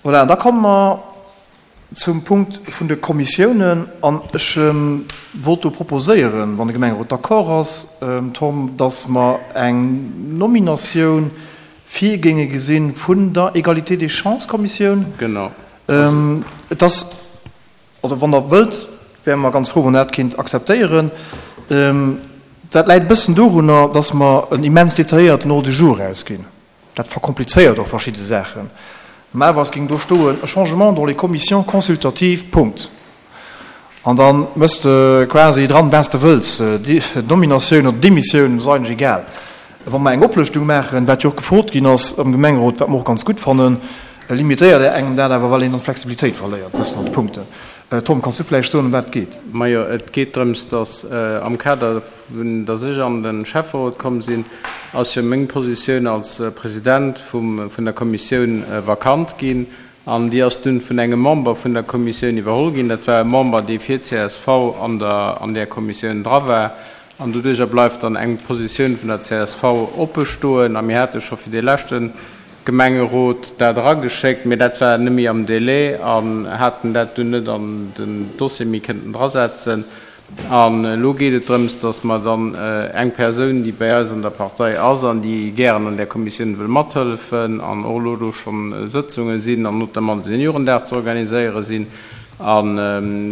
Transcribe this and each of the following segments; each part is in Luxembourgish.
Voilà, da komme mer zum Punkt vun de Kommissiounen. An ech wollt do proposéieren, wann de Gemengerot d'accord ass, Tom, dass mer eng Nominatioun vir géinge gesinn vun der Égalité des chances-Kommissioun. Genau. Et ass, also wann Der wëllt, wäre mer ganz frou, wann Der dat kéint akzeptéieren. Dat läit e bëssen dorunner, dass mer en immens detailléierten Ordre du jour erausginn. Dat verkomplizéiert och verschidde Saachen. Normalerweis géing do stoen, e changement dans les commissions consultatives, Punkt. An da mëss de quasi dran, wat s de wëlls, Nominatioun oder Demissioun, ass eigentlech egal. Wa mer eng Oplëschtung maachen, wat jo och gefrot ginn ass am Gemengerot, wat mer och ganz gutt fannen, limitéiert engem dat awer, well een dann d'Flexibilitéit verléiert e bëssen an de Punkten. Tom, kanns du vläicht soen, ëm wat et geet? Majo, et geet drëms, dass am Kader vun, dass ech an de Schäfferot komm sinn, ass jo meng Positioun als President vum, vun der Kommissioun vakant ginn. An déi ass dunn vun engem Member vun der Kommissioun iwwerholl ginn. Dat war e Member, dee fir csv an der, an där Kommissioun dra war. An doduerjer bleift dann eng Positioun vun der csv oppe stoen. A mir hate scho fir dee leschte Gemengerot dat erageschéckt, mee dat war net méi am Délai an haten dat dunn net an den Dossier méi kënnten drasetzen. An elo geet et drëms, dass mer dann eng Persoun, déi bei eis an der Partei ass an déi gären an där Kommissioun wëll mathëllefen an och elo do schonn Sëtzunge sinn an notamment de Seniorendag ze organiséiere sinn, an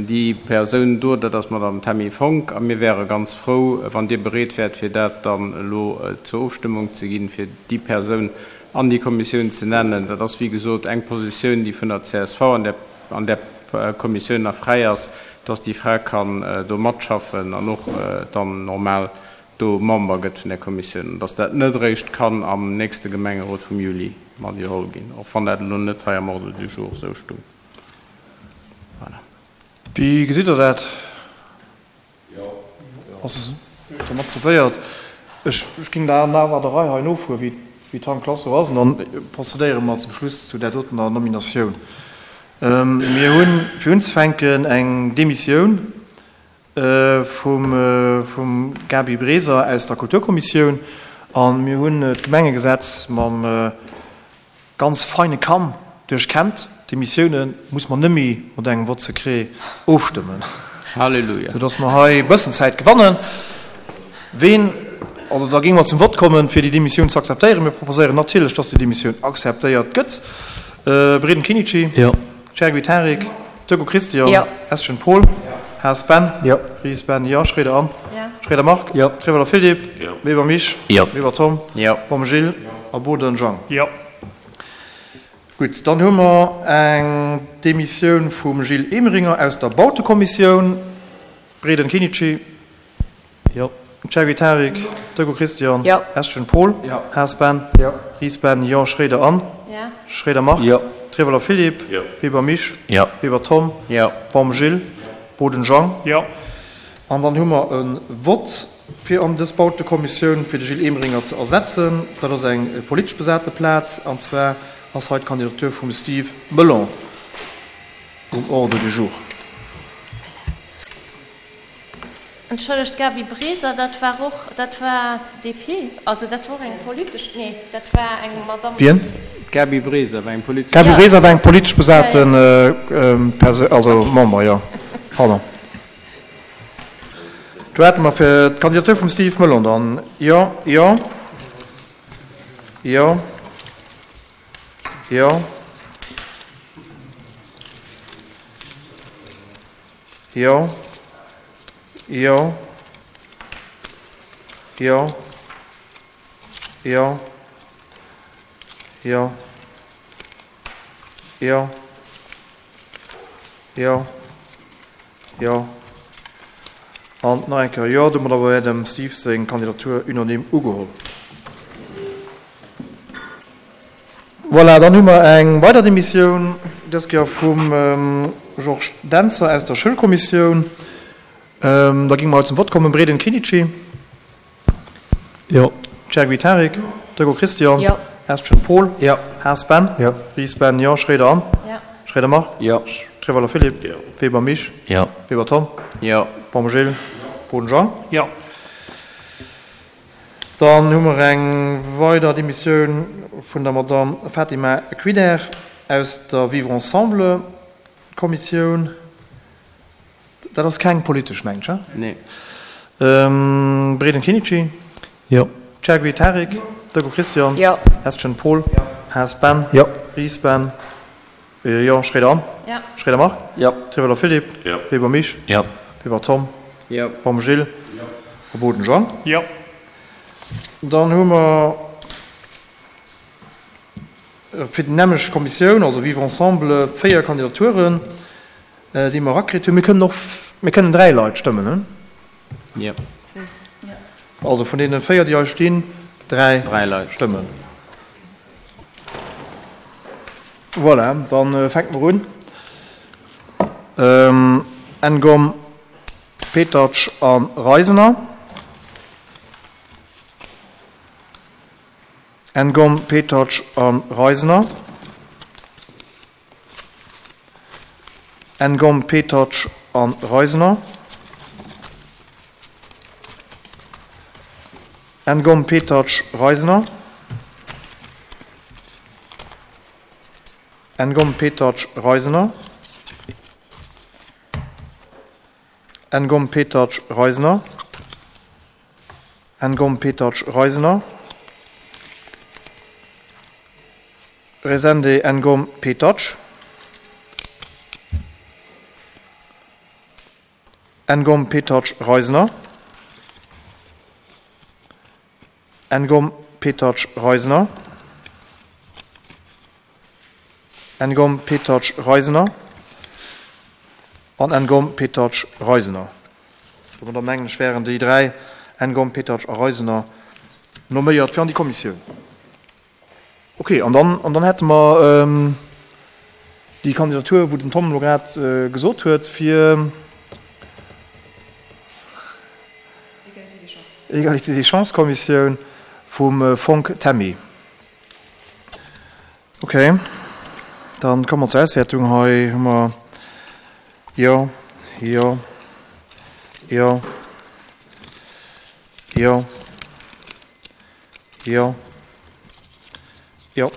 déi Persoun do, dat ass d'Madame Tammy Fonck. A mir wäere ganz frou, wann Dir bereet wäert, fir dat dann elo zur Ofstëmmung ze ginn, fir déi Persoun an déi Kommissioun ze nennen. Dat ass, wéi gesot, eng Positioun, déi vun der csv an där an där Kommissioun nach fräi ass, dass déi Fra kann do matschaffen an och dann normal do Member gëtt vun där Kommissioun, an dass dat net eréischt kann am nächste Gemengerot vum Juli mat iwwerholl ginn, och wann dat elo net hei am Ordre du jour esou stung. Voilà. Wéi gesitt Der dat? Ass dann approvéiert. Ech géing da awer der Rei hei nofueren, wéi d'Rangklass esou ass, an dann procédéiere mer zum Schluss zu där dotener Nominatioun. Mir hunn, fir unzefänken, eng Demissioun vum Gaby Breser aus der Kulturkommissioun a mir hunn d'Gemengegesetz mam Ganz feine Kamm duerchkämmt. D'Demissioune muss mer nëmme mat engem Vote secret ofstëmmen. Halleluja. Sou dass mer hei e bëssen Zäit gewannen. Ween, also da géinge mer zum Vott kommen, fir déi Demissioun ze akzeptéieren. Mir proposéieren natierlech, dass déi Demissioun akzeptéiert gëtt. Bredem Kinnici. Jo. Chergui Tarik. Turco Christian. Jo. Eschen Paul. Haas Ben. Jo. Ries Ben, jo. Schroeder Anne. Jo. Schroeder Marc. Jo. Trewelder Philippe. Jo. Weber Mich. Jo. Weber Tom. Jo. Baum Gilles. A Boden Jean. Jo. Gutt, dann hu mer eng Demissioun vum Gilles Emeringer aus der Bautekommissioun. Bredem Kinnici. Jo. Chergui Tarik, Turco Christian, Jo. Eschen Paul, Jo. Haas Ben, Jo. Ries Ben, jo, Schroeder Anne, Jo. Schroeder Marc, Jo. Trewelder Philippe, Jo. Weber Mich, Jo. Weber Tom, Jo. Baum Gilles, Boden Jean. Jo. An dann hu mer e Vott fir an dës Bautekommissioun fir de Gilles Emeringer ze ersetzen. Dat ass eng politesch besate Plaz, an zwar ass hei d'Kandidatur vum Steve Melon um Ordre du jour. Entschëllegt, Gaby Breser, dat war och, dat war DP, also dat war och eng politesch, nee, dat war eng Madamm. Wien? D'Gaby Breser war eng politesch. D'Gaby Breser war eng politesch besate Persoun, also Member, jo. Pardon. Do hate mer fir d'Kandidatur vum Steve Melon dann, jo, jo, jo, jo. Jo. Jo. Jo. Jo. Jo. Jo. Jo. Jo. An nach eng Kéier Jo. Domadder wär dem Steve seng Kandidatur unanime ugeholl. Voilà, dann hu mer eng weider Demissioun, dës Kéier vum Georges Dentzer aus der Schoulkommissioun. Da géinge mer haut zum Vott kommen. Bredin Kinici. Jo. Chergui Tarik. Turgo Christian. Jo. Eschen Paul. Jo. Haas Ben. Jo. Ries Ben, jo. Schroeder Anne. Jo. Schroeder Marc. Jo. Trewelder Philippe. Jo. Weber Mich. Jo. Weber Tom. Jo. Baum Gilles. Boden Jean. Jo. Dann hu mer eng weider Demissioun vun der Madamm Fatima Quider. Aus der Vivre ensemble Kommissioun. Dat ass keng politesch, mengen ech, he? Nee. Breden Kinichi. Jo. Chergui Tarik. Jo. Deco Christian. Jo. Estgen Paul. Jo. Haas Ben. Jo. Ries Ben. Jo. Schroeder Anne. Jo. Schroeder Marc. Jo. Trivolo Philippe. Jo. Weber Misch. Jo. Weber Tom. Jo. Baum Gilles. Jo. A Boden Jean. Jo. Dann hu mer fir déi nämmlecht Kommissioun, also Vivre ensemble, 4 Kandidaturen. Déi mer erakritt hunn. Mir kënnen och, mir kënnen 3 Leit stëmmen, ne? Jo. Also vun deene 4, déi hei stinn, 3 3 Leit stëmmen. Voilà, da fänke mer un. Ngom, Petacz a Reisener. Ngom, Petacz a Reisener. Ngom, Petacz a Reisener. Ngom, Petacz, Reisener. Ngom, Petacz, Reisener. Ngom, Petacz, Reisener. Ngom, Petacz, Reisener. Resende, Ngom, Petacz. Ngom, Petacz, Reisener. Ngom, Petacz, Reisener. Ngom, Petacz, Reisener. An Ngom, Petacz, Reisener. Domadder mengen ech wären déi 3, Ngom, Petacz a Reisener, nomméiert fir an déi Kommissioun. Ok, an dann, an dann hätte mer déi Kandidatur, wou den Tom elo grad gesot huet, fir Égalité des chances-Kommissioun vum Fonck Tammy. Ok, dann komme mer zur Auswäertung. Hei hu mer Jo, Jo, Jo, Jo. Jo. Jo.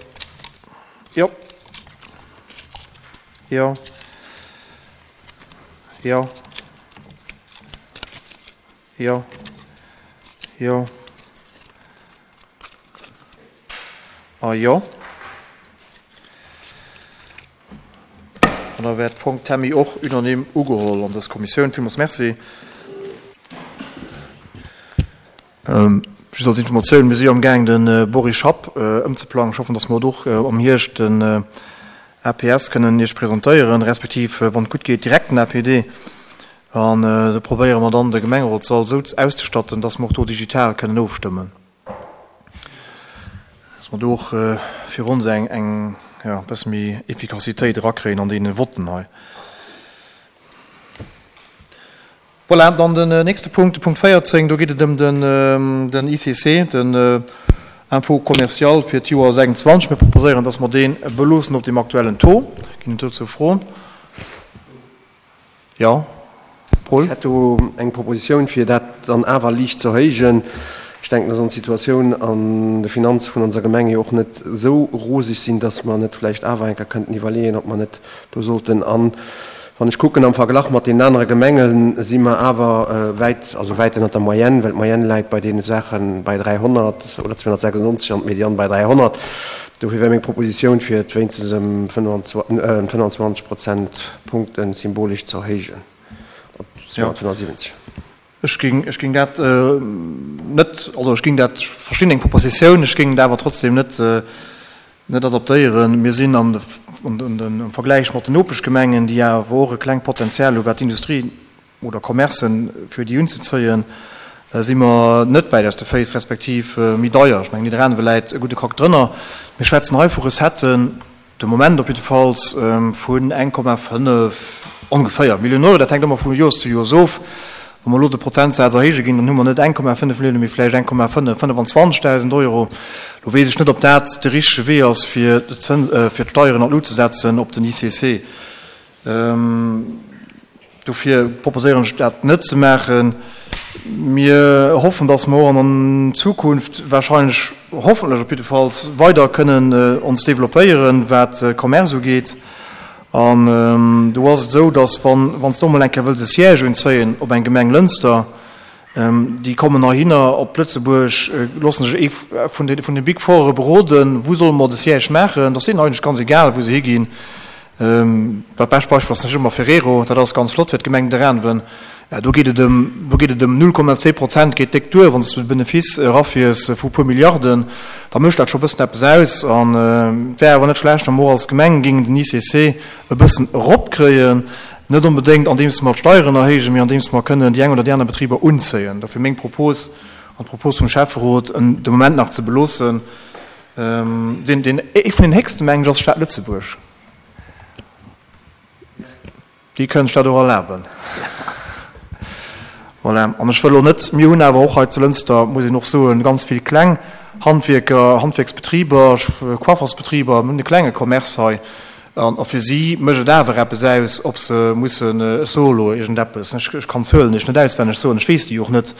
Jo. Jo. Jo. Jo. Jo. A jo. An da wär d'Fonck Tammy och unanime ugeholl an dës Kommissioun. Villmools Merci. Just als Informatioun, Mir si jo amgaang de Boris Schapp ëmzeplangen. Ech hoffen, datt mer et och am Hierscht den APS kënnen Iech presentéieren, respektiv, wann et gutt geet, direkt den APD. An do probéiere mer dann, de Gemengerotssall esou auszestatten, datt mer och do digital kënnen ofstëmmen. Datt mer do och fir ons eng, eng, jo, e bësse méi Efficacitéit erakréien an deene Votten hei. Voilà, dann den nächste Punkt, de Punkt 14, do geet et ëm den ICC, den Impôt commercial fir d'Joer 26. Mir proposéieren, dass mer dee beloossen op deem aktuellen Taux. Ginn et dozou Froen? Jo, Paul? Ech hätt do eng Propositioun, fir dat dann awer liicht ze erhéijen. Ech denken, dass ons Situatioun an de Finanze vun onser Gemeng jo och net esou roseg sinn, dass mer net vläicht awer eng Kéier kënnten iwwerleeën, ob mer net do sollten an, wann ech kucken am Verglach mat deenen anere Gemengen, si mer awer wäit, also wäit ënnert der Moyenne, well d'Moyenne läit bei deene Saache bei 300 oder 296 an d'Mediane bei 300. Dofir wär meng Propositioun, fir et wéinstens ëm 25 Prozentpunkte symbolesch ze erhéijen op 275. Ech géing, ech géing dat net, also ech géing dat, ech verstinn deng Propositioun, ech géing et awer trotzdem net, net adaptéieren. Mir sinn an de, an den, am Vergläich mat den Nopeschgemengen, déi awer och e klengt Potenzial hu wat d'Industrie oder Commercen fir déi unzezéien, si mer net wäit aus de Féiss, respektiv méi deier. Ech mengen, Nidderaanwe läit e gudde Krack drënner. Mir schwätzen hei vu Recetten, De Moment op jiddefalls vun 1,5 ongeféier Milliounen Euro. Dat hänkt ëmmer vu Joers zu Joers of. Wa mer elo de Prozentsaz erhéije ginn, dann hu mer net 1,5 Milliounen, mee vläicht 1,5, 25.000 Euro. Elo weess ech net, ob dat de richtege Wee ass, fir d'Steieren an d'Lut ze setzen op den ICC. Dofir proposéieren ech, dat net ze maachen. Mir hoffen, dass mer och an Zukunft wahrscheinlech, hoffentlech op jiddefalls, weider kënnen ons développéieren, wat Commerce ugeet. An do ass et esou, dass wann, wann s de och mol eng Kéier wëlls e Siège unzéien op eng Gemeng Lënster, déi kommen heihinner op Lëtzebuerg, loosse sech ee vun de, vun de Big Foure beroden, wou solle mer de Siège maachen. Et ass deenen eigentlech ganz egal, wou se higinn. Dat bescht Beispill ass natierlech ëmmer Ferrero, dat ass ganz flott fir d'Gemeng Nidderaanwen. Do geet et ëm, do geet et ëm 0,2 Prozent geet déck duer, wann s de de Benefice erafiers vu puer Milliarden, da mécht dat scho e bëssen eppes aus. An et wär awer net schlecht, wa mer och als Gemeng géingen den ICC e bëssen eropkréien, net onbedéngt andeems mer d'Steieren erhéijen, mee andeems mer kënnen déi eng oder déi aner Betriber unzéien. Dofir meng Propos an d'Propos vum Schäfferot, en de Moment nach ze beloossen. Deen, deen, ee vun den héchsten, mengen ech, ass d'Stad Lëtzebuerg. Déi kënnen sech dat och erlaben. Voilà. An ech wëll elo net, mir hunn awer och hei zu Lënster, muss een och soen, ganz vill kleng Handwierker, Handwierksbetriber, Coiffersbetriber, mir hunn e klenge Commerce hei. An fir si mécht et awer eppes aus, ob se mussen, ech soe elo iergendeppes, ech kann d'Zuelen iech net auswenneg soen, ech weess déi och net,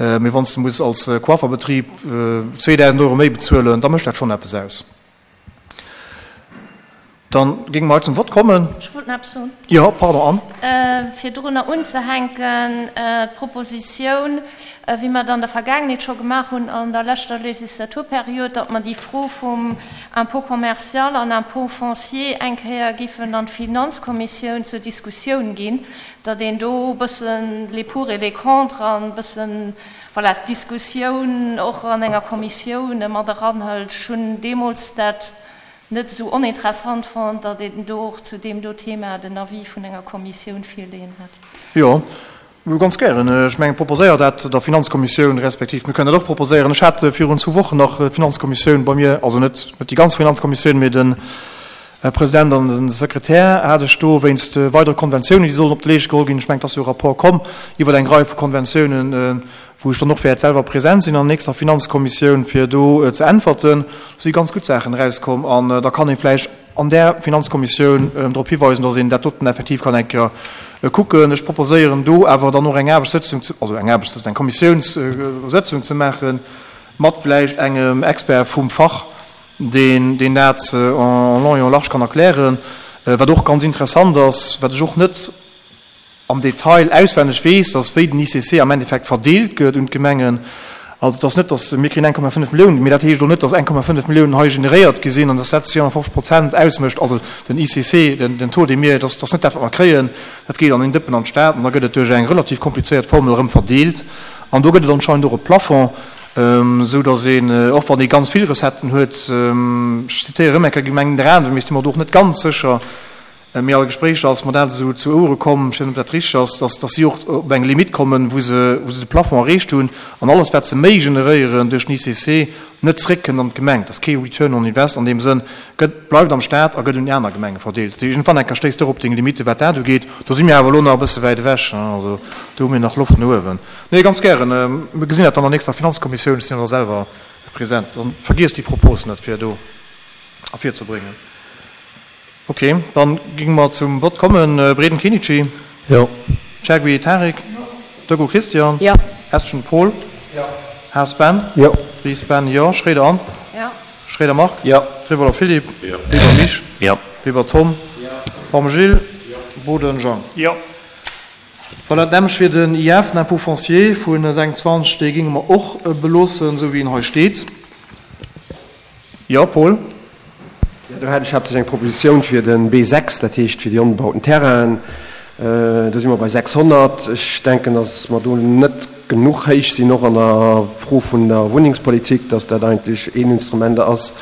mee wann s de muss als Coifferbetrib 2.000 Euro méi bezuelen, da mécht dat schonn eppes aus. Dann géinge mer hei zum Vott kommen. Ech wollt nach eppes soen. Jo, pardon, Anne. Fir dorunner unzehänken, d'Propositioun, wéi mer et an der Vergaangenheet scho gemaach hunn, an der leschter Legislaturperiod, datt mer déi Fro vum Impôt commercial an Impôt foncier eng Kéier géifen an d'Finanzkommissioun zur Diskussioun ginn, datt een do e bëssen les pour et les contre an e bëssen, voilà, d'Diskussioun och an enger Kommissioun mat eranhëlt. Ech hunn deemools dat net esou oninteressant fonnt, datt een do och zu deem do Thema den Avis vun enger Kommissioun virleeën hätt. Jo, ganz gären. Ech mengen, proposéier dat der Finanzkommissioun, respektiv mir kënnen dat och proposéieren. Ech hat virun zwou Wochen nach d'Finanzkommissioun bei mir, also net net déi ganz Finanzkommissioun, mee den Här President an den Sekretär hat ech do wéinst weidere Konventiounen, déi sollen op de Leescht geholl ginn, ech mengen, et ass jo e Rapport komm iwwer eng Rei vu Konventiounen, wou ech dann och wäert selwer present sinn an der nächster Finanzkommissioun, fir do ze äntwerten. Do si ganz gutt Saachen erauskomm an da kann ee vläicht an där Finanzkommissioun drop hiweisen, dass een dat doten effektiv kann eng Kéier kucken. Ech proposéieren do awer dann och eng Aarbechtssëtzung, also eng Aarbechtssëtzung, eng Kommissiounssëtzung ze maachen, mat vläicht engem Expert vum Fach, deen deen dat en long et en large kann erklären. Wat och ganz interessant ass, wat ech och net am Detail auswenneg weess, ass wéi den ICC am Endeffekt verdeelt gëtt un d'Gemengen. Also et ass net, datt mir kréien 1,5 Milliounen, mee dat heescht och net, datt 1,5 Milliounen hei generéiert gi sinn an datt dat 250 Prozent ausmécht. Also den ICC, den Taux, dee mir, dat ass net dat, wat mer kréien, dat geet an een Dëppen an d'Stad an da gëtt et duerch eng relativ komplizéiert Formel erëm verdeelt an do gëtt et anscheinend och e Plafond. Esou datt een, och wann ee ganz vill Recetten huet, ech zitéiere rëm eng Kéier d'Gemeng Nidderaanwen, mee ech si mer do och net ganz sécher, mee a Gespréicher ass mer dat esou zu Ouere komm, ech weess net, ob dat richteg ass, datt datt si och op eng Limite kommen, wou se wou se de Plafond erreecht hunn an alles, wat se méi generéieren duerch den ICC, net zréckkënnt an d'Gemeng. Et ass kee Return on invest an deem Sënn, gëtt, bleift am Stat a gëtt un déi aner Gemenge verdeelt. Dat heescht, iergendwann eng Kéier stéisst de och op deng Limite, wat dat ugeet. Do si mir awer elo nach e bësse wäit ewech, also do hu mir nach Loft no uewen. Nee, ganz gären. Mir gesinn dat dann an der nächster Finanzkommissioun. Ech sinn jo da selwer present. Dann vergiesst déi Propos net, fir do ervirzebréngen. Okay, dann géinge mer zum Vott kommen. Breden Kenichi? Jo. Chergui Tarik? Jo. Deco Christian? Jo. Estgen Paul? Jo. Haas Ben? Jo. Ries Ben? Jo. Schroeder Anne? Jo. Schroeder Marc? Jo. Trivoller Philippe? Jo. Weber Mich? Jo. Weber Tom? Jo. Baum Gilles? Jo. Boden Jean? Jo. Voilà, d'nämmlecht fir den IF, den Impôt foncier vu 26, dee géinge mer och beloossen, esou wéi en hei steet. Jo, Paul? Jo, do hätt ech haaptsächlech eng Propositioun fir de B6, dat heescht fir déi onbebauten Terrainen. Do si mer bei 600. Ech denken, datt mer do net genuch héich sinn, och an der Fro vun der Wunnengspolitik, datt dat eigentlech een Instrument ass,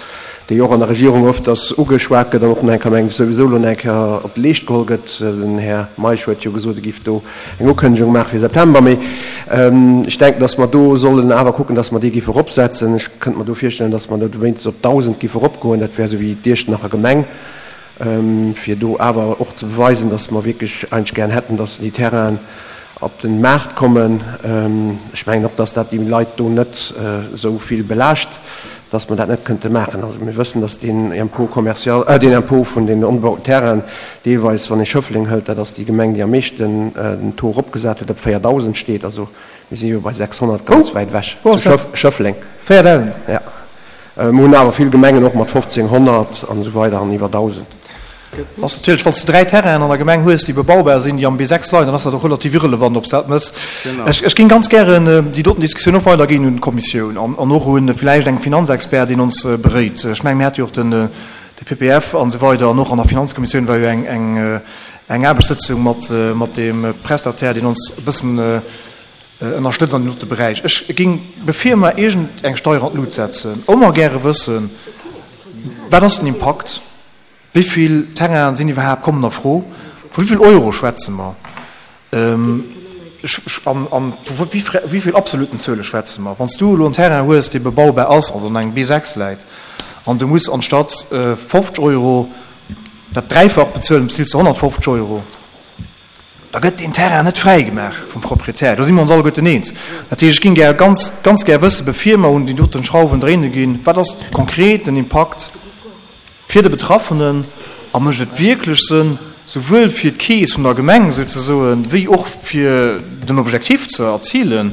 déi och an der Regierung öfters ugeschwat gëtt an och nach eng Kéier, mengen ech, souwisou elo nach eng Kéier op de Leescht geholl gëtt. Den Här Meisch huet jo gesot, e géif do eng Ukënnegung maache fir September. Mee ech denken, datt mer do sollen awer kucken, datt mer déi géife eropsetzen. Ech kënnt mer do virstellen, datt mer do wéinstens op 1.000 géife eropgoen. Dat wär esou wéi d'Iechternacher Gemeng, fir do awer och ze beweisen, datt mer wierklech eigentlech gären hätten, datt déi Terrainen op de Maart kommen. Ech mengen och, datt dat déi Leit do net esou vill belaascht. Dass mer dat net kënnte maachen. Also mir wëssen, dass deen Impôt commercial, deen Impôt vun den onbebauten Terrainen deelweis, wann ee Schëffleng hëlt, dat ass déi Gemeng, déi am meeschten den Taux eropgesat huet, op 4.000 steet. Also mir si jo bei 600 ganz wäit ewech. Wou ass dat? Schëffleng. 4.000? Ja. Mir hunn awer vill Gemengen och mat 1.500 an esou weider an iwwer 1.000. Ass natierlech, wann s de 3 Terrainen an der Gemeng hues, déi bebaubar sinn, déi am B6 leien, dann ass dat och relativ irrelevant, ob s dat mëss. Ech géing ganz gären déi doten Diskussioun och weiderginn un d'Kommissioun an och un vläicht eng Finanzexpert, deen ons beréit. Ech mengen, mir hate jo och den de PPF an esou weider an och an der Finanzkommissioun war jo eng eng Aarbechtssëtzung mat mat deem Prestataire, deen ons e bëssen ënnerstëtzt an deem dote Beräich. Ech géing, bevir mer iergend eng Steier an d'Lut setzen, ëmmer gäre wëssen, Wat ass den Impakt? Wéi vill Terrainen sinn iwwerhaapt, kommen a Fro? Vu wéi vill Euro schwätze mer? A vu wéi vill absoluten Zuele schwätze mer? Wann s du elo en Terrain hues, dee bebaubar ass, also an engem B6 läit, an du muss anstatt 50 Euro dat Dräifacht bezuelen, bezills de 150 Euro, da gëtt deen Terrain net fräigemaach vum Proprietär. Do si mer ons alleguerten eens. Dat heescht, ech géing gär, ganz, ganz gär wëssen, bevir mer un déi doten Schrauwen dréine ginn, wat ass konkret den Impakt fir de Betraffenen a mécht et wierklech Sënn, souwuel fir d'Keess vun der Gemeng souzesoen, wéi och fir den Objectif ze erzilen,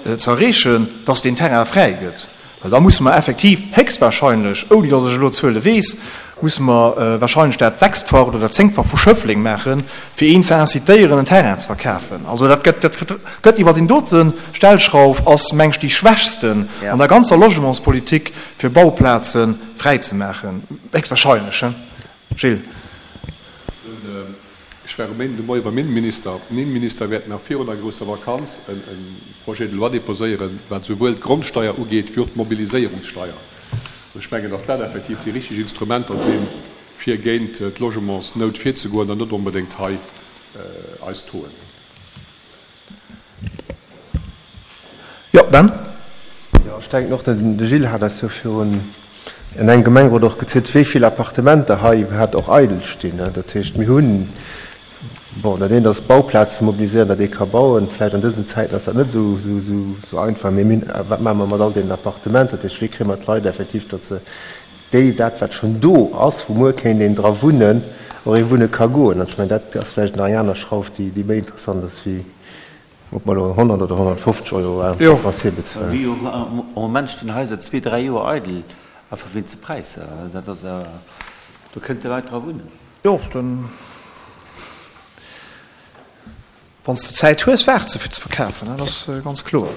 ze erreechen, dass deen Terrain fräi gëtt? Well da musse mer effektiv héchstwahrscheinlech, ouni dass ech elo d'Zuele weess, musse mer wahrscheinlech dat Sechstfacht oder dat Zéngtfacht vu Schëffleng maachen, fir een ze incitéieren, en Terrain ze verkafen. Also dat gëtt, dat gëtt iwwer deen dote Stellschrauf ass, meng ech, déi schwächsten an der ganzer Logementspolitik, fir Bauplaze fräi ze maachen. Héchstwahrscheinlech, he Gilles? Ech war e Méinden de Moie beim Innenminister. Den Innenminister wäert nach virun der grousser Vakanz e Projet de loi déposéieren, wat esouwuel d'Grondsteier ugeet wéi och d'Mobiliséierungssteier. An ech mengen, datt dat effektiv déi richteg Instrumenter sinn, fir géint d'Logementsnout virzegoen an net onbedéngt hei eis Tauxen. Jo, Ben? Jo, ech denken och, de Gilles hat eis jo virun an engem Gemengerot och gezielt, wéi vill Appartementer hei iwwerhaapt och eidel stinn. Dat heescht, mir hunn, bon, dat eent ass Bauplaze mobiliséieren, datt ee ka bauen. Vläicht an dësen Zäiten ass dat net esou einfach, mee mir hunn, wat maache mer mat all deenen Appartementer? Dat heescht, wéi kréie mer d'Leit effektiv, datt se déi, dat wat schonn do ass, wou muer kéint een dra wunnen, och ee wunne ka goen. An ech mengen, dat ass vläicht nach eng aner Schrauf, déi méi interessant ass wéi ob mer elo 100 oder 150 Euro Foncier bezuelen. Wéi jo, am Moment stinn Haiser zwee, dräi Joer eidel, einfach wéinst de Präisser. Dat ass, do kënnte Leit dra wunnen. Jo, dann. Wann s de Zäit hues, waart se fir ze verkafen, dat ass ganz kloer.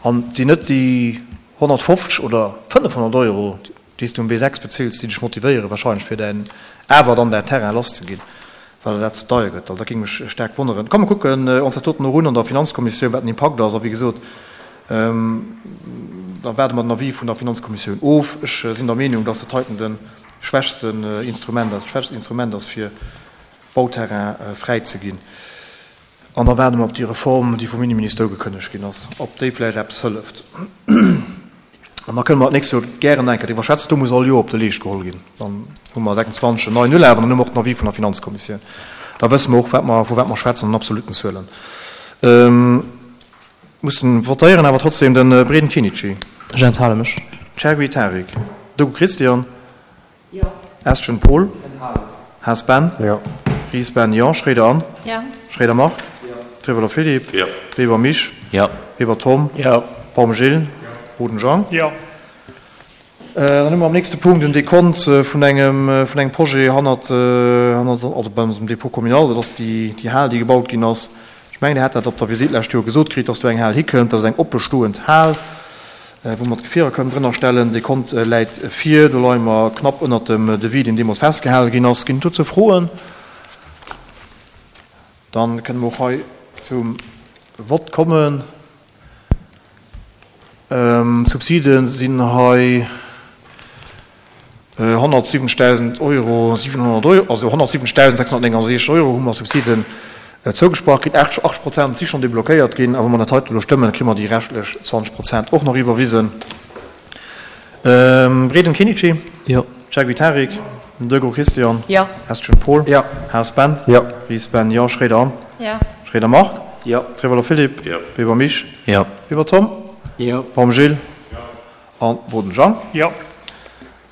An et sinn net déi 150 oder 500 Euro, déi s du um B6 bezills, déi dech motivéieren wahrscheinlech fir däin awer dann däin Terrain lasszeginn, well der dat ze deier gëtt. Also dat géing mech staark wonneren. Komm mer kucken ons dat doten och un an der Finanzkommissioun, wat den Impakt ass. A wéi gesot, da waarde mer den Avis vun der Finanzkommissioun of. Ech sinn der Meenung, dass dat heiten de schwächsten Instrument ass, dat schwächst Instrument ass fir Bauterrain fräi ze ginn. An da waarde mer op déi Reform, déi vum Inneminister ugekënnegt ginn ass, ob déi vläicht eppes hëlleft. An da kënne mer d'nächst Joer gären nach eng Kéier driwwer schwätzen. Do muss all Joer op de Leescht geholl ginn. Dann hu mer 26 en neien Ulaf an dann hu mer och den Avis vun der Finanzkommissioun. Da wësse mer och, wat mer, vu wat mer schwätzen an absoluten Zuelen. Mussen votéieren awer trotzdem de Breden Kinici. Ech enthale mech. Chergui Tarik. Dogu Christian. Estgen Paul. Haas Ben. Ries Ben, jo. Schroeder Anne. Schroeder Marc. Trivolo Philippe. Weber Misch. Weber Tom. Baum Gilles. Boden Jean. Dann hu mer am nächste Punkt en Dekont vun engem, vun engem Projet hannert, hannert, also bei onsem Dépôt communal. Dat ass déi, déi Hal, déi gebaut ginn ass. Ech mengen, Dir hat dat op der Visitt d'lescht Joer gesot kritt, dass do eng Hal hikënnt. Dat ass eng oppestoend Hal, wou mer d'Gefierer kënnen drënner stellen. Dee Kont läit vir. Do leie mer knapp ënnert dem Devis, deen deemools festgehale ginn ass. Ginn et dozou Froen? Dann kënne mer och hei zum Vott kommen. D'Subside sinn hei 170.000 Euro, 700 Euro, also 170.669 Euro hu mer Subsiden zougesprach kritt. 80 Prozent si schonn deblockéiert ginn. A wa mer dat heite elo stëmmen, kréie mer déi reschtlech 20 Prozent och nach iwwerwisen. Breden Kenichi? Jo. Chergui Tarik? Degraux Christian? Jo. Estgen Paul? Jo. Haas Ben? Jo. Ries Ben? Jo. Schroeder Anne? Jo. Schroeder Marc? Jo. Trevolo Philippe? Jo. Weber Misch? Jo. Weber Tom? Jo. Baum Gilles? An Boden Jang. Jo.